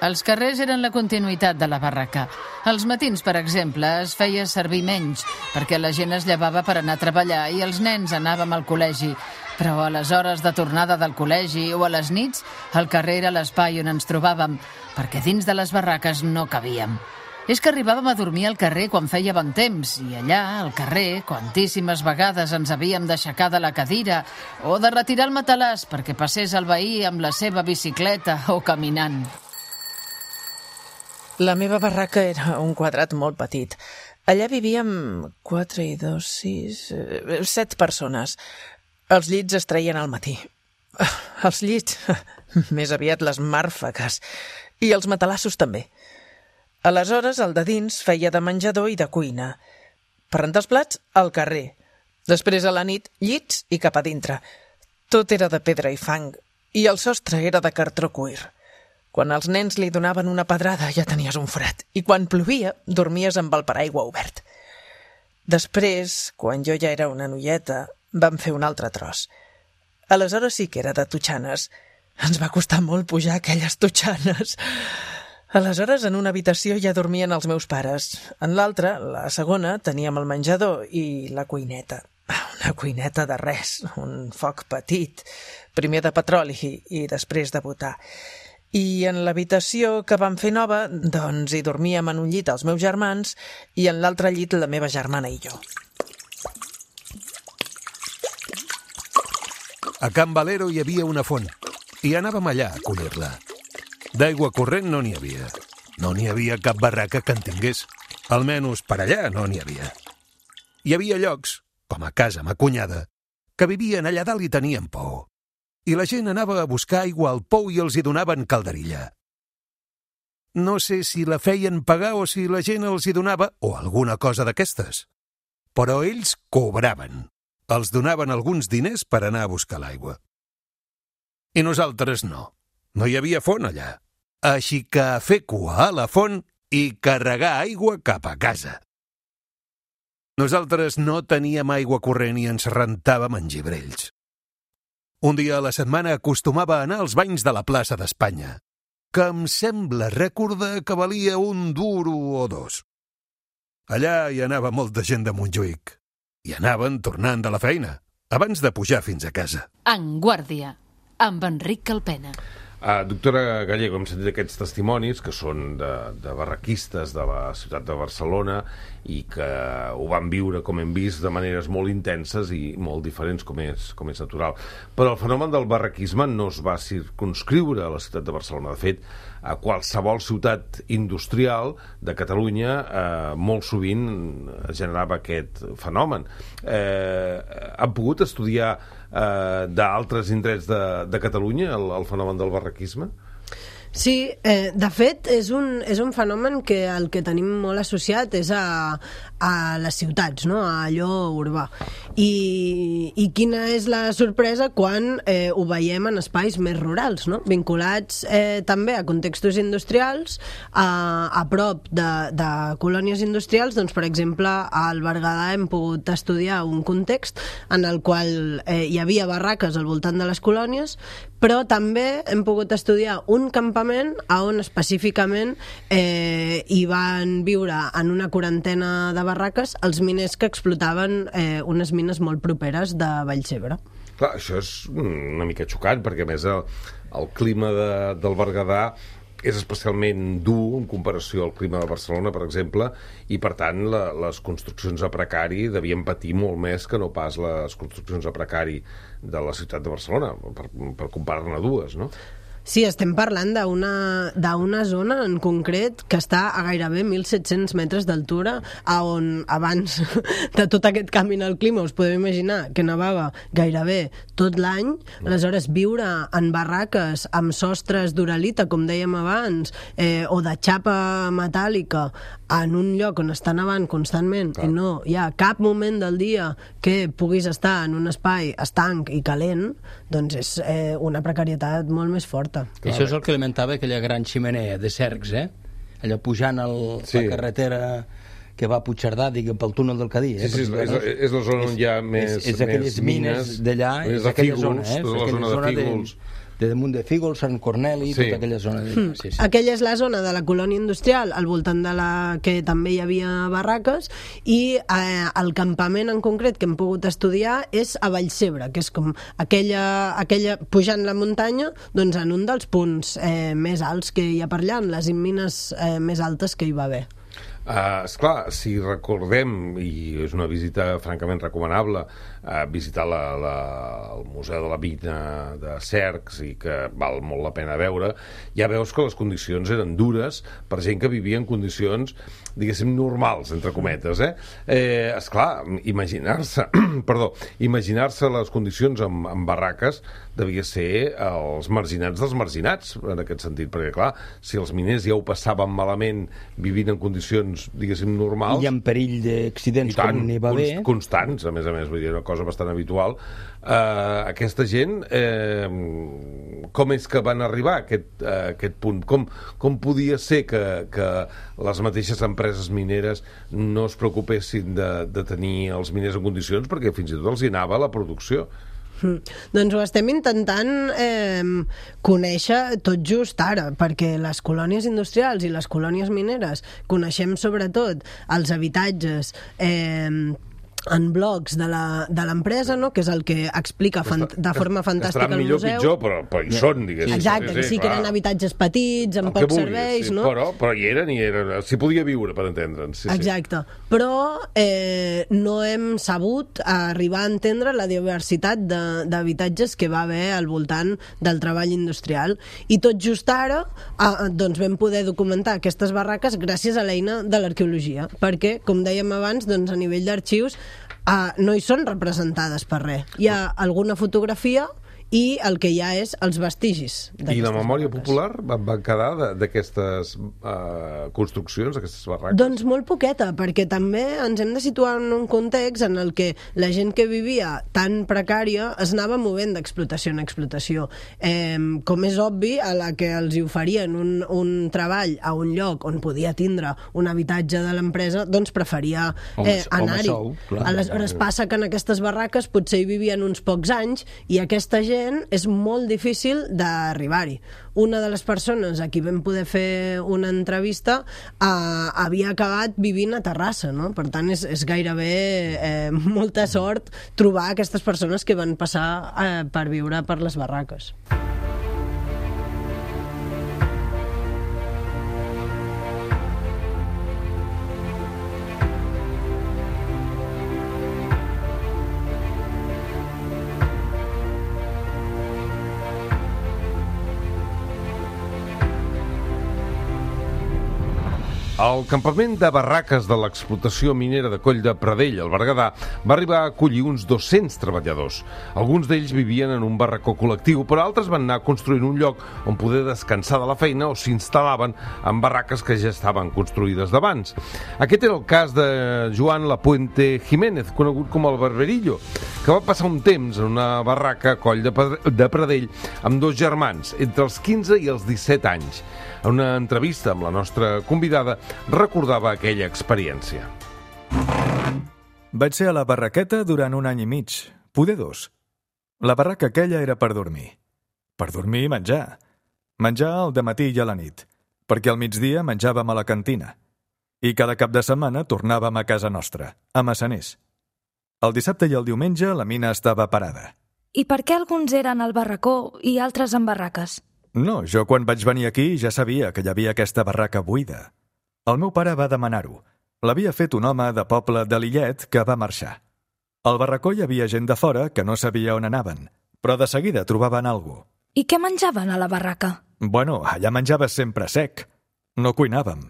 Els carrers eren la continuïtat de la barraca. Els matins, per exemple, es feia servir menys, perquè la gent es llevava per anar a treballar i els nens anàvem al col·legi. Però a les hores de tornada del col·legi o a les nits, el carrer era l'espai on ens trobàvem, perquè dins de les barraques no cabíem. És que arribàvem a dormir al carrer quan feia bon temps, i allà, al carrer, quantíssimes vegades ens havíem d'aixecar de la cadira o de retirar el matalàs perquè passés el veí amb la seva bicicleta o caminant. La meva barraca era un quadrat molt petit. Allà vivíem quatre i dos, sis... set persones. Els llits es treien al matí. Els llits, més aviat les màrfegues. I els matalassos també. Aleshores, el de dins feia de menjador i de cuina. Per rentar els plats, al carrer. Després, a la nit, llits i cap a dintre. Tot era de pedra i fang. I el sostre era de cartró cuir. Quan els nens li donaven una pedrada ja tenies un fred. I quan plovia, dormies amb el paraigua obert. Després, quan jo ja era una noieta, vam fer un altre tros. Aleshores sí que era de totxanes. Ens va costar molt pujar aquelles totxanes. Aleshores, en una habitació ja dormien els meus pares. En l'altra, la segona, teníem el menjador i la cuineta. Una cuineta de res, un foc petit, primer de petroli i després de butà. I en l'habitació que vam fer nova, doncs hi dormíem en un llit els meus germans i en l'altre llit la meva germana i jo. A Can Valero hi havia una font i anàvem allà a collir-la. D'aigua corrent no n'hi havia. No n'hi havia cap barraca que en tingués. Almenys per allà no n'hi havia. Hi havia llocs, com a casa ma cunyada, que vivien allà dalt i tenien pou. I la gent anava a buscar aigua al pou i els hi donaven calderilla. No sé si la feien pagar o si la gent els hi donava, o alguna cosa d'aquestes. Però ells cobraven. Els donaven alguns diners per anar a buscar l'aigua. I nosaltres no. No hi havia font allà. Així que a fer cua a la font i carregar aigua cap a casa. Nosaltres no teníem aigua corrent i ens rentàvem en gibrells. Un dia a la setmana acostumava a anar als banys de la plaça d'Espanya, que em sembla recordar que valia un duro o dos. Allà hi anava molta gent de Montjuïc. I anaven tornant de la feina, abans de pujar fins a casa. En Guàrdia, amb Enric Calpena. Uh, doctora Gallego, hem sentit aquests testimonis que són de, de barraquistes de la ciutat de Barcelona i que ho van viure, com hem vist, de maneres molt intenses i molt diferents, com és, com és natural. Però el fenomen del barraquisme no es va circumscriure a la ciutat de Barcelona. De fet, a qualsevol ciutat industrial de Catalunya eh, molt sovint es generava aquest fenomen. Eh, han pogut estudiar eh, d'altres indrets de, de Catalunya el, el fenomen del barraquisme? Sí, eh, de fet és un, és un fenomen que el que tenim molt associat és a, a les ciutats, no? A allò urbà. I, i quina és la sorpresa quan eh, ho veiem en espais més rurals, no? Vinculats eh, també a contextos industrials, a, a prop de, de colònies industrials. Doncs, per exemple, al Berguedà hem pogut estudiar un context en el qual eh, hi havia barraques al voltant de les colònies, però també hem pogut estudiar un campament a on específicament eh, hi van viure en una quarantena de barraques els miners que explotaven eh, unes mines molt properes de Vallcebre. Clar, això és una mica xocant, perquè a més el, el clima de, del Berguedà és especialment dur en comparació al clima de Barcelona, per exemple, i per tant la, les construccions a precari devien patir molt més que no pas les construccions a precari de la ciutat de Barcelona, per, per comparar-ne dues, no? Sí, estem parlant d'una d'una zona en concret que està a gairebé mil set-cents metres d'altura, on abans de tot aquest canvi en el clima us podeu imaginar que nevava gairebé tot l'any. Aleshores, viure en barraques amb sostres d'uralita, com dèiem abans, eh, o de xapa metàl·lica en un lloc on està nevant constantment, clar, i no hi ha cap moment del dia que puguis estar en un espai estanc i calent, doncs és eh, una precarietat molt més forta. Clar. Això és el que alimentava aquella gran ximenea de Cercs, eh? Allò pujant el, sí. la carretera que va a Puigcerdà, diguem, pel túnel del Cadí. Eh? Sí, sí, és, és, és la zona on hi ha més, és, és aquelles mines, mines d'allà, és aquella zona, eh? És la zona de Fígols. De, de damunt de Fígols, Sant Corneli, sí. Tota aquella zona. De... Mm. Sí, sí. Aquella és la zona de la colònia industrial, al voltant de la que també hi havia barraques, i eh, el campament en concret que hem pogut estudiar és a Vallcebre, que és com aquella, aquella pujant la muntanya, doncs en un dels punts eh, més alts que hi ha per allà, en les mines eh, més altes que hi va haver. Uh, esclar, si recordem, i és una visita francament recomanable, uh, visitar la, la, el Museu de la Mina de Cercs, i que val molt la pena veure, ja veus que les condicions eren dures per gent que vivia en condicions, diguéssim, normals, entre cometes, eh? eh esclar, imaginar-se perdó, imaginar-se les condicions amb, amb barraques devia ser els marginats dels marginats, en aquest sentit, perquè clar, si els miners ja ho passaven malament vivint en condicions, diguéssim, normals... I en perill d'accidents com n'hi va haver... Constants, a més a més, vull dir, una cosa bastant habitual. Uh, aquesta gent, eh, com és que van arribar a aquest, a aquest punt? Com, com podia ser que, que les mateixes empreses mineres no es preocupessin de, de tenir els miners en condicions, perquè fins i tot els hi anava la producció? Mm. Doncs ho estem intentant eh, conèixer tot just ara, perquè les colònies industrials i les colònies mineres coneixem sobretot els habitatges eh, en blogs de la- de l'empresa, no? Que és el que explica fan, de forma fantàstica Estaran el millor o museu. pitjor, però, però hi són, diguéssim. Exacte, que sí, que clar. eren habitatges petits, amb El que pocs vulguis, serveis, sí, no? Però, però hi eren i eren... S'hi podia viure, per entendre'ns. Sí, Exacte, però eh, no hem sabut arribar a entendre la diversitat de- d'habitatges que va haver al voltant del treball industrial, i tot just ara eh, doncs vam poder documentar aquestes barraques gràcies a l'eina de l'arqueologia, perquè, com dèiem abans, doncs a nivell d'arxius eh, no hi són representades per res. Hi ha alguna fotografia i el que hi ha és els vestigis I d'aquestes la memòria barraques. popular va, va quedar de- d'aquestes uh, construccions, d'aquestes barraques? Doncs molt poqueta, perquè també ens hem de situar en un context en el que la gent que vivia tan precària es anava movent d'explotació en explotació. Eh, com és obvi, a la que els hi oferien un, un treball a un lloc on podia tindre un habitatge de l'empresa, doncs preferia Home, eh, home, anar-hi. sou, clar. Aleshores passa que en aquestes barraques potser hi vivien uns pocs anys i aquesta gent és molt difícil d'arribar-hi. Una de les persones a qui vam poder fer una entrevista eh, havia acabat vivint a Terrassa, no? Per tant, és, és gairebé eh, molta sort trobar aquestes persones que van passar eh, per viure per les barraques. El campament de barraques de l'explotació minera de Coll de Pradell, al Berguedà, va arribar a acollir uns dos-cents treballadors. Alguns d'ells vivien en un barracó col·lectiu, però altres van anar construint un lloc on poder descansar de la feina o s'instal·laven en barraques que ja estaven construïdes d'abans. Aquest era el cas de Joan Lapuente Jiménez, conegut com el Barberillo, que va passar un temps en una barraca a Coll de Pradell amb dos germans, entre els quinze i els disset anys. En una entrevista amb la nostra convidada, recordava aquella experiència. Vaig ser a la barraqueta durant un any i mig, poder dos. La barraca aquella era per dormir. Per dormir i menjar. Menjar al dematí i a la nit, perquè al migdia menjàvem a la cantina. I cada cap de setmana tornàvem a casa nostra, a Massaners. El dissabte i el diumenge la mina estava parada. I per què alguns eren al barracó i altres en barraques? No, jo quan vaig venir aquí ja sabia que hi havia aquesta barraca buida. El meu pare va demanar-ho. L'havia fet un home de poble de Lillet que va marxar. Al barracó hi havia gent de fora que no sabia on anaven, però de seguida trobaven alguna cosa. I què menjaven a la barraca? Bueno, allà menjaves sempre sec. No cuinàvem.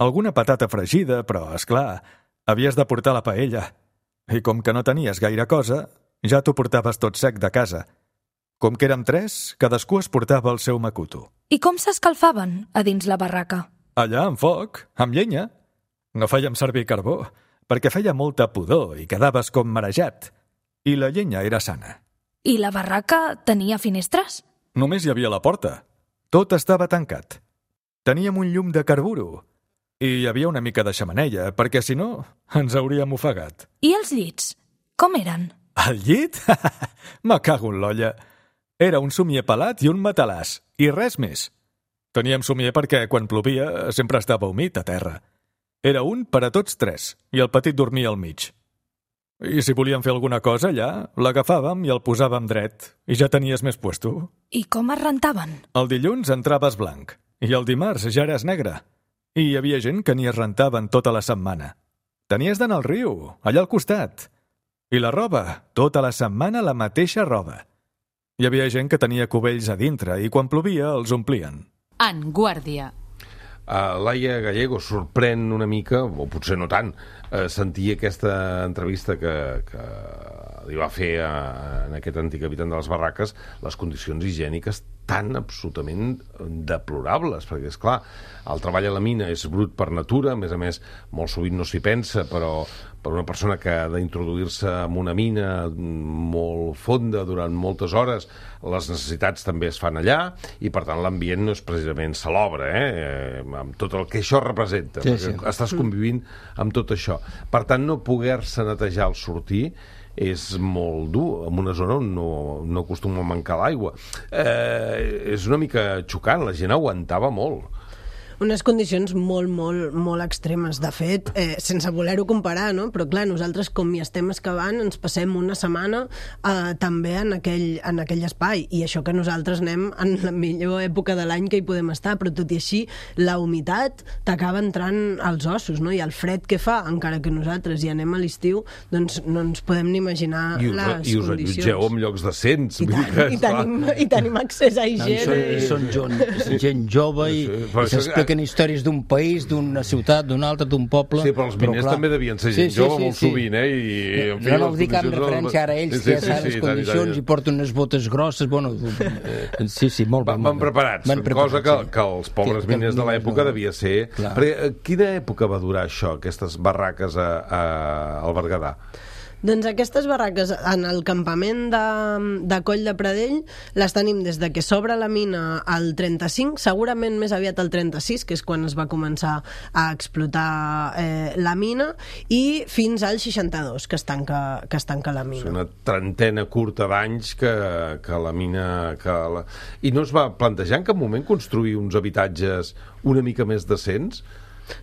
Alguna patata fregida, però, és clar, havies de portar la paella. I com que no tenies gaire cosa, ja t'ho portaves tot sec de casa. Com que érem tres, cadascú es portava el seu macuto. I com s'escalfaven a dins la barraca? Allà, amb foc, amb llenya. No fèiem servir carbó, perquè feia molta pudor i quedaves com marejat. I la llenya era sana. I la barraca tenia finestres? Només hi havia la porta. Tot estava tancat. Teníem un llum de carburo. I hi havia una mica de xemeneia, perquè si no, ens hauríem ofegat. I els llits? Com eren? El llit? Me cago en l'olla. Era un somier pelat i un matalàs, i res més. Teníem somier perquè, quan plovia, sempre estava humit a terra. Era un per a tots tres, i el petit dormia al mig. I si volíem fer alguna cosa allà, l'agafàvem i el posàvem dret, i ja tenies més puesto. I com es rentaven? El dilluns entraves blanc, i el dimarts ja eres negre. I hi havia gent que n'hi es rentaven tota la setmana. Tenies d'anar al riu, allà al costat. I la roba, tota la setmana la mateixa roba. Hi havia gent que tenia cubells a dintre i quan plovia els omplien. En Guàrdia. Uh, Laia Gallego sorprèn una mica, o potser no tant, uh, sentir aquesta entrevista que, que li va fer a, a aquest antic habitant de les barraques, les condicions higièniques tan absolutament deplorables, perquè, és clar, el treball a la mina és brut per natura, a més a més, molt sovint no s'hi pensa, però per una persona que ha d'introduir-se en una mina molt fonda durant moltes hores, les necessitats també es fan allà, i per tant l'ambient no és precisament salobre, eh? Amb tot el que això representa, sí, perquè sí. Estàs convivint amb tot això. Per tant, no poder-se netejar al sortir és molt dur, en una zona on no, no acostuma a mancar l'aigua. Eh, és una mica xocant, la gent aguantava molt. unes condicions molt, molt, molt extremes. De fet, eh, sense voler-ho comparar, no? Però clar, nosaltres com hi estem excavant ens passem una setmana eh, també en aquell, en aquell espai, i això que nosaltres anem en la millor època de l'any que hi podem estar, però tot i així la humitat t'acaba entrant als ossos, no? I el fred que fa, encara que nosaltres hi anem a l'estiu, doncs no ens podem ni imaginar I us, les i us condicions. allotgeu en llocs decents. I, tant, i, tenim, i tenim accés a higiene. I són, i són gent, gent jove i, i s'expliquen històries d'un país, d'una ciutat, d'un altre, d'un poble. Sí, però els miners també devien ser gent sí, sí, jove sí, molt sí. sovint, eh? I, en fi, no, no ho dic amb referència ara a ells, sí, que ja sí, saben sí, les sí, condicions tant, i porten unes botes grosses, bueno... Sí, sí, molt bé. Van preparats, van preparats cosa que, sí. que els pobres que, miners de l'època no. devia ser... Clar. Perquè, quina època va durar això, aquestes barraques a, a, al Berguedà? Doncs aquestes barraques en el campament de, de Coll de Pradell les tenim des de que s'obre la mina al trenta-cinc, segurament més aviat al trenta-sis, que és quan es va començar a explotar eh, la mina, i fins al seixanta-dos, que es tanca, que es tanca la mina. És una trentena curta d'anys que, que la mina... Que la... I no es va plantejar en cap moment construir uns habitatges una mica més decents?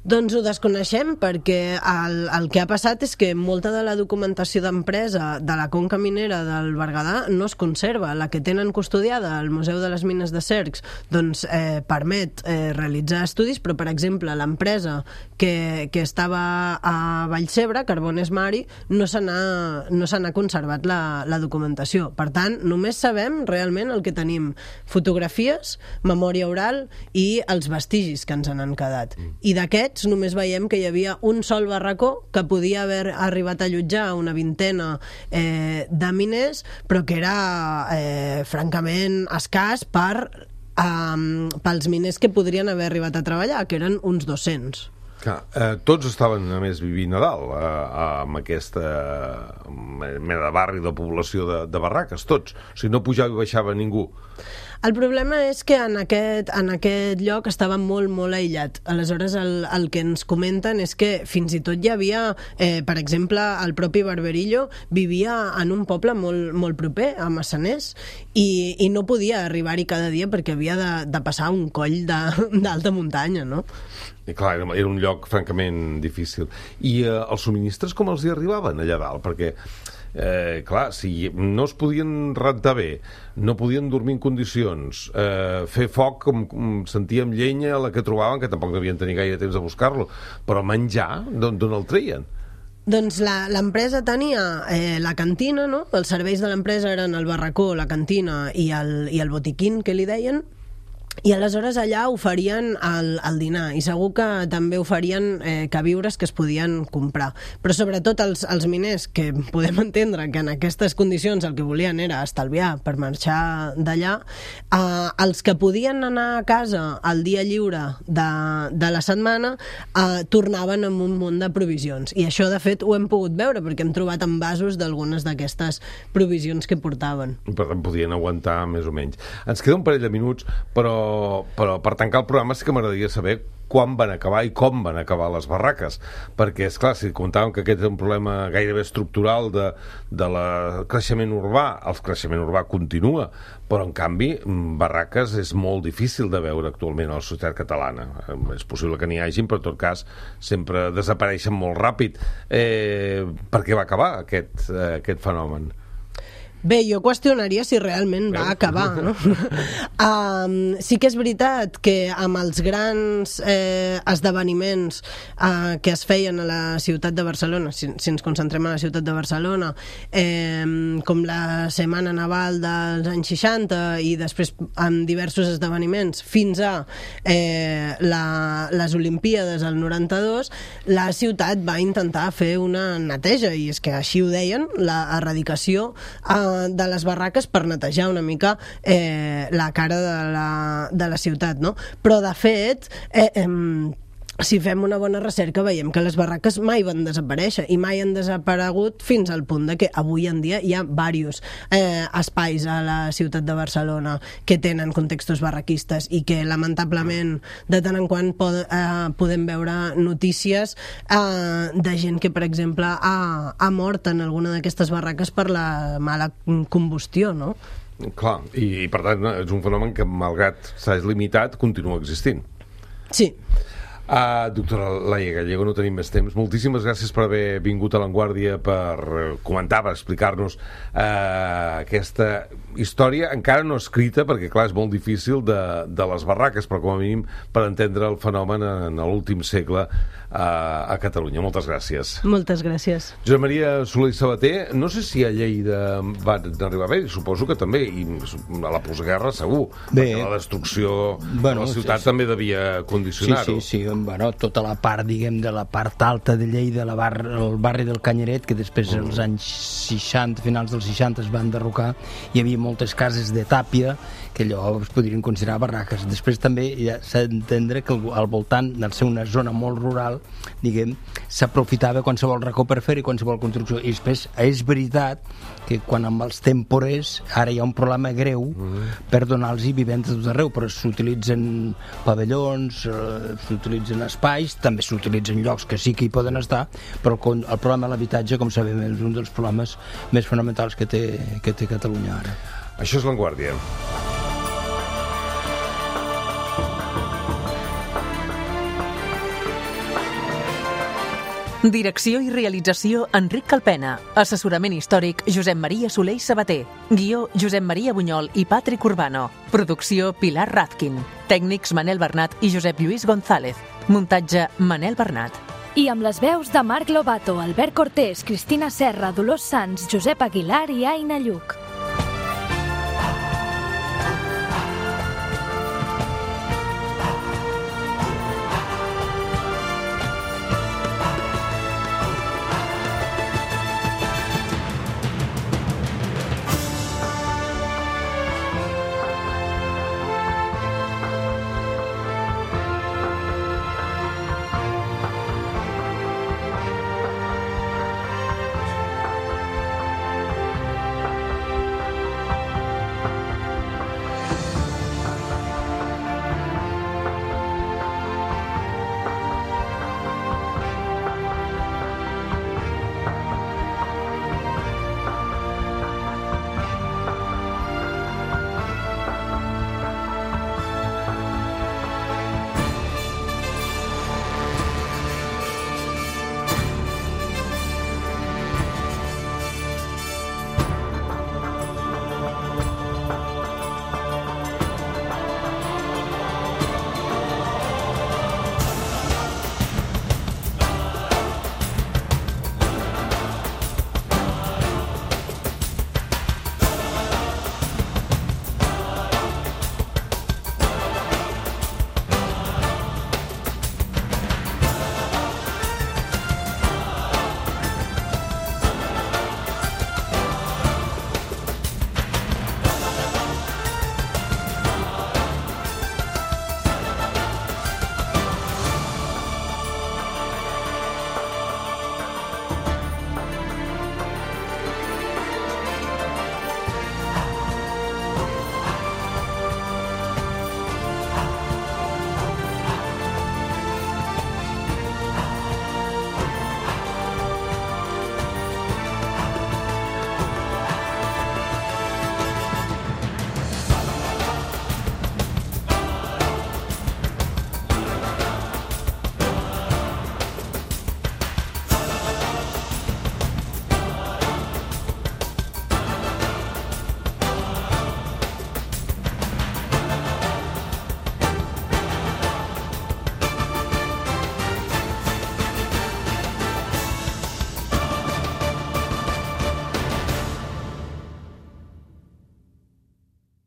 Doncs ho desconeixem, perquè el, el que ha passat és que molta de la documentació d'empresa de la conca minera del Berguedà no es conserva. La que tenen custodiada al Museu de les Mines de Cercs doncs, eh, permet eh, realitzar estudis, però per exemple l'empresa que, que estava a Vallcebre, Carbones Mari, no se n'ha no se n'ha conservat la, la documentació. Per tant, només sabem realment el que tenim: fotografies, memòria oral i els vestigis que ens han quedat. I de Aquests només veiem que hi havia un sol barracó que podia haver arribat a allotjar una vintena eh, de miners, però que era eh, francament escàs per, eh, pels miners que podrien haver arribat a treballar, que eren uns dos-cents. Clar, eh, tots estaven a més vivint a dalt eh, amb aquesta mena de barri de població de, de barraques, tots, o sigui, no pujava i baixava ningú. El problema és que en aquest, en aquest lloc estava molt, molt aïllat. Aleshores, el, el que ens comenten és que fins i tot hi havia, eh, per exemple, el propi Barberillo vivia en un poble molt, molt proper, a Massaners, i, i no podia arribar-hi cada dia perquè havia de, de passar un coll d'alta muntanya, no? I clar, era un lloc francament difícil. I eh, els subministres com els hi arribaven allà dalt? Perquè Eh, clar, si no es podien rentar bé, no podien dormir en condicions, eh, fer foc com, com sentíem llenya la que trobaven, que tampoc devien tenir gaire temps de buscar-lo, però menjar, d'on el treien? Doncs l'empresa tenia eh, la cantina, no? Els serveis de l'empresa eren el barracó, la cantina i el, i el botiquín, que li deien, i aleshores allà oferien el, el dinar, i segur que també oferien eh, queviures que es podien comprar, però sobretot els, els miners, que podem entendre que en aquestes condicions el que volien era estalviar per marxar d'allà, eh, els que podien anar a casa el dia lliure de, de la setmana eh, tornaven amb un munt de provisions, i això de fet ho hem pogut veure perquè hem trobat envasos d'algunes d'aquestes provisions que portaven. Per tant podien aguantar més o menys. Ens queda un parell de minuts, però però per tancar el programa sí que m'agradaria saber quan van acabar i com van acabar les barraques, perquè, esclar, si comptàvem que aquest és un problema gairebé estructural de, de la creixement urbà, el creixement urbà continua, però en canvi barraques és molt difícil de veure actualment a la societat catalana. És possible que n'hi hagin, però en tot cas sempre desapareixen molt ràpid. Eh, per què va acabar aquest, eh, aquest fenomen? Bé, jo qüestionaria si realment va acabar, no? um, sí que és veritat que amb els grans eh, esdeveniments eh, que es feien a la ciutat de Barcelona, si, si ens concentrem a la ciutat de Barcelona, eh, com la Setmana Naval dels anys seixanta i després amb diversos esdeveniments fins a eh, la, les Olimpíades al noranta-dos, la ciutat va intentar fer una neteja, i és que així ho deien, la erradicació eh, de les barraques per netejar una mica eh, la cara de la, de la ciutat, no? Però de fet eh, eh, si fem una bona recerca veiem que les barraques mai van desaparèixer i mai han desaparegut fins al punt de que avui en dia hi ha diversos eh, espais a la ciutat de Barcelona que tenen contextos barraquistes i que lamentablement de tant en quant pod eh, podem veure notícies eh, de gent que per exemple ha, ha mort en alguna d'aquestes barraques per la mala combustió, no? Clar, i, i per tant és un fenomen que malgrat s'ha limitat continua existint. Sí. Uh, doctora Laia Gallego, no tenim més temps. Moltíssimes gràcies per haver vingut a l'Avantguàrdia, per comentar, per explicar-nos uh, aquesta història encara no escrita, perquè clar, és molt difícil de, de les barraques, però com a mínim per entendre el fenomen en l'últim segle uh, a Catalunya. Moltes gràcies. Moltes gràcies. Josep Maria Soler i Sabater, no sé si a Lleida van arribar bé, suposo que també, i a la postguerra segur, bé, perquè la destrucció bueno, de la ciutat sí, sí. també devia condicionar-ho. Sí, sí, sí, bueno, tota la part, diguem, de la part alta de Lleida, la bar, el barri del Canyeret, que després mm. als anys seixanta, finals dels seixanta es van derrocar, hi havia moltes cases de tàpia que allò es podrien considerar barraques. Després també ja s'ha d'entendre que al voltant, al ser una zona molt rural, diguem, s'aprofitava qualsevol racó per fer i qualsevol construcció. I després és veritat que quan amb els temporers ara hi ha un problema greu mm. per donar-los vivents a tot arreu, però s'utilitzen pavellons, eh, s'utilitzen espais, també s'utilitzen llocs que sí que hi poden estar, però el, el problema de l'habitatge, com sabem, és un dels problemes més fonamentals que té, que té Catalunya ara. Això és l'Avantguàrdia. Direcció i realització Enric Calpena. Assessorament històric Josep Maria Soler i Sabater. Guió Josep Maria Bunyol i Patrick Urbano. Producció Pilar Razkin. Tècnics Manel Bernat i Josep Lluís González. Muntatge Manel Bernat. I amb les veus de Marc Lobato, Albert Cortés, Cristina Serra, Dolors Sans, Josep Aguilar i Aina Lluc.